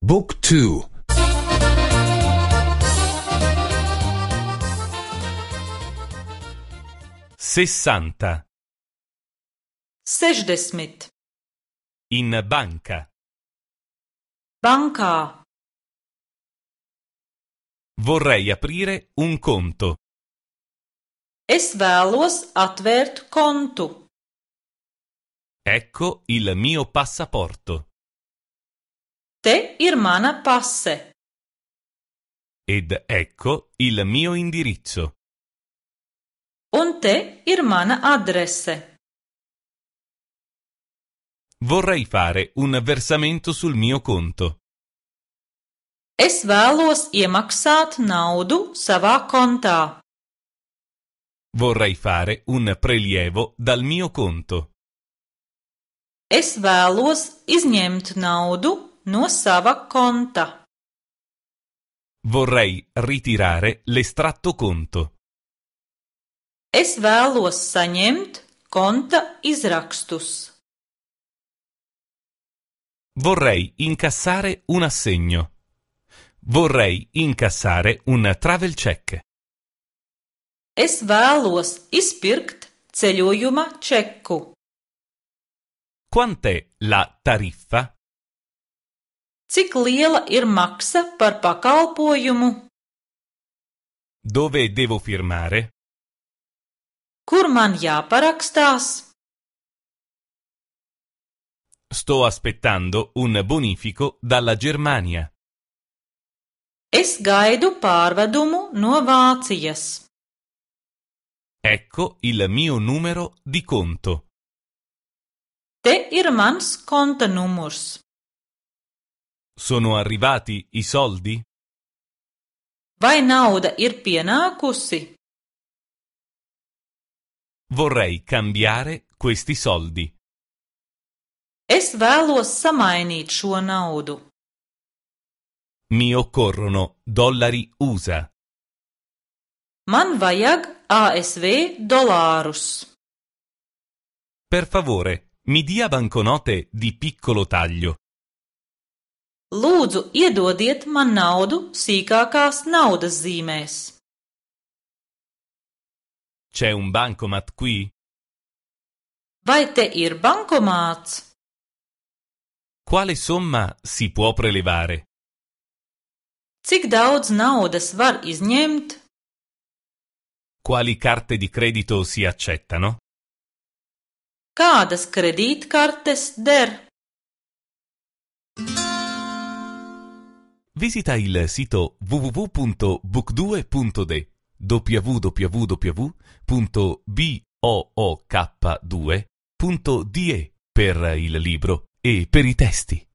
Book 2. 60. 60. In banca. Bankā. Vorrei aprire un conto. Es vēlos atvērt kontu. Ecco il mio passaporto. Te ir mana pase. Ed ecco il mio indirizzo. Un te ir mana adrese. Vorrei fare un versamento sul mio conto. Es vēlos iemaksāt naudu savā kontā. Vorrei fare un prelievo dal mio conto. Es vēlos izņemt naudu no sava konta. Vorrei ritirare l'estratto conto. Es vēlos saņemt konta izrakstus. Vorrei incassare un assegno. Vorrei incassare un travel check. Es vēlos izpirkt ceļojuma čeku. Quant'è la tariffa? Cik liela ir maksa par pakalpojumu? Dove devo firmare? Kur man jāparakstās? Sto aspettando un bonifico dalla Germania. Es gaidu pārvedumu no Vācijas. Ecco il mio numero di conto. Te ir mans konta numurs. Sono arrivati i soldi? Vai nauda ir pienākusi? Vorrei cambiare questi soldi. Es vēlos samainīt šo naudu. Mi occorrono dollari USA. Man vajag ASV dolārus. Per favore, mi dia banconote di piccolo taglio. Lūdzu, iedodiet man naudu sīkākās naudas zīmēs. C'è un bancomat qui? Vai te ir bankomāts? Quale somma si può prelevare? Cik daudz naudas var izņemt? Quali carte di credito si accettano? Kādas kredītkartes der? Visita il sito www.book2.de www.book2.de per il libro e per i testi.